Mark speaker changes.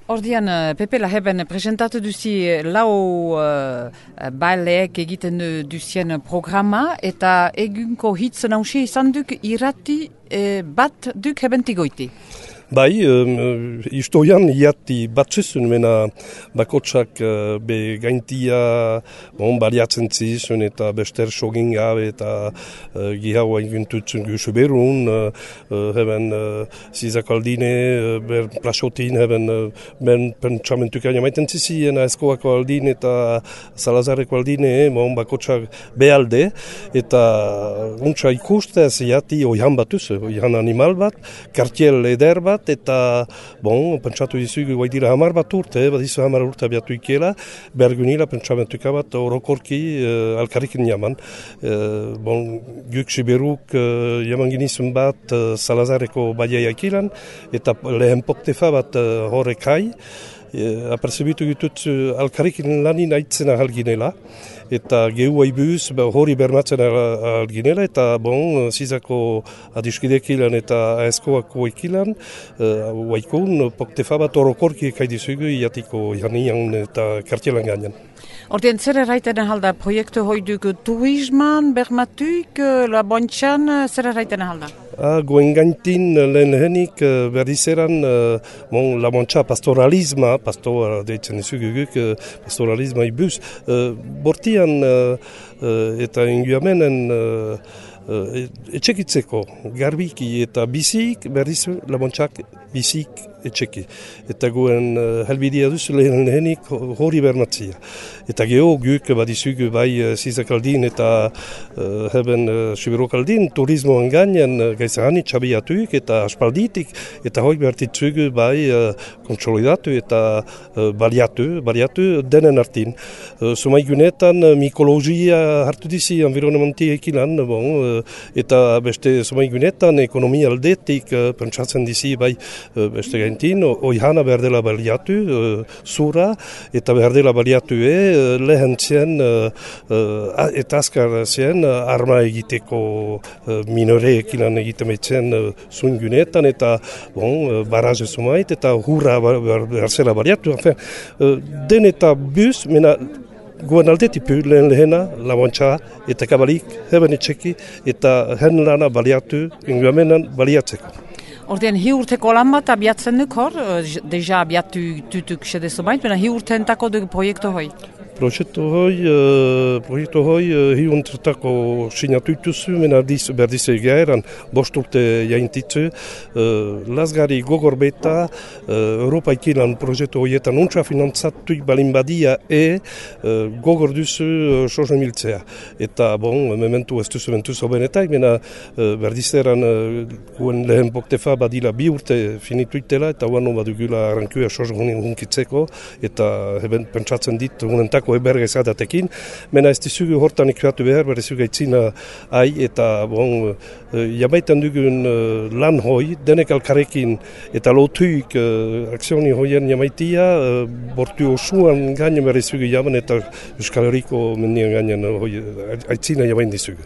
Speaker 1: Ordian, Pepe Laheben presentatu duzi lau baileek egiten duzien programa eta egunko hitz nausi izan duk irrati bat duk hebentigoiti.
Speaker 2: Bai, historian iati batzizun mena bakotsak be gaintia baliatzen zizun eta bester sogin gabe eta gihaua inguntutzen guzu berun, heben zizakaldine, ber plasotin, heben ben pentsamentuka jamaiten zizien aizkoako aldin eta salazareko aldine, bakotsak behalde eta untsa ikustez iati oihan batuz, oihan animal bat, kartiel eder bat, eta, pentsatu dizugu guai dira 10 bat urte, badizu 10 urte abiatu ikela, bergunila pentsamentuka bat orokorki alkarrikin jaman. Guk siberuk jaman ginizun bat Salazareko baiaia ikilan, eta lehen poktefa bat horrekai, aperzebitu ditut alkarrikin lanin aitzena halginela, eta gehu haibuz hori bermatzen alginela, eta zizako adiskidekilan eta aizkoako ekilan, waikun poktefa bat orokorki ekaidizugu iatiko janian eta kartielan gainan.
Speaker 1: Ordien zer erraiten ahalda proiektu hoiduk turisman, bermatuik, labontxan, zer erraiten ahalda?
Speaker 2: Goen gaintin lehenik berdizeran labontxa pastoralisma, deitzen izuguguk, pastoralisma ibuz, bortian eta inguamenen etxekitzeko garbiki eta bizik berdizu labontxak bizik etxeki. Eta goen helbidea duzu lehenik hori bermatzia. Eta geho guk badizugu bai zizakaldin eta heben siberokaldin turismoan gainen gaizahani txabiatuik eta aspalditik eta hoi bertitzugu bai konsolidatu eta baliatu denen artin. Sumaigunetan mikologia hartu dizi environnementi ekilan, eta beste sumaigunetan ekonomia aldetik pentsatzen dizi bai beste gaintin, oihana behar dela baliatu, zura, eta behar dela baliatu lehen zen eta azkar zen arma egiteko minoreekin egitemetzen zungunetan, eta baraze sumait, eta hurra behar zela baliatu. Den eta buz, mena goen aldetipu lehena, labontxa eta kabalik, heben etxeki, eta hen lana baliatu, inguamenan baliatzeko.
Speaker 1: Ordien, hi urteko lan bat abiatzen duk hor, deja abiatu tutuk sedezo bait, bena hi urteentako duk proiektu hoi?
Speaker 2: Proiektu hoi hi untretako sinatu ituzu, mena berdizu egeeran, 5 urte jaintitzu, lazgari gogor beta, Europa ikilan proiektu hoietan untsa finantzatuik balin badia gogor duzu sozo miltzea. Eta mementu ez duzu mentuz hobenetak, mena berdizeran guen lehen poktefa badila 2 urte finituitela, eta guano badugula arrankua sozo hunkitzeko, eta heben pentsatzen dit unentako ebergezadatekin, mena ez dizugu hortan ikuatu behar, berezugu aitzina eta jamaitan dugun lan hoi, denek alkarekin eta lotuik akzioni hoien jamaitia, bortu osuan gainen berezugu jaman eta Euskal Herriko mendian gainen aitzina jamain dizugu.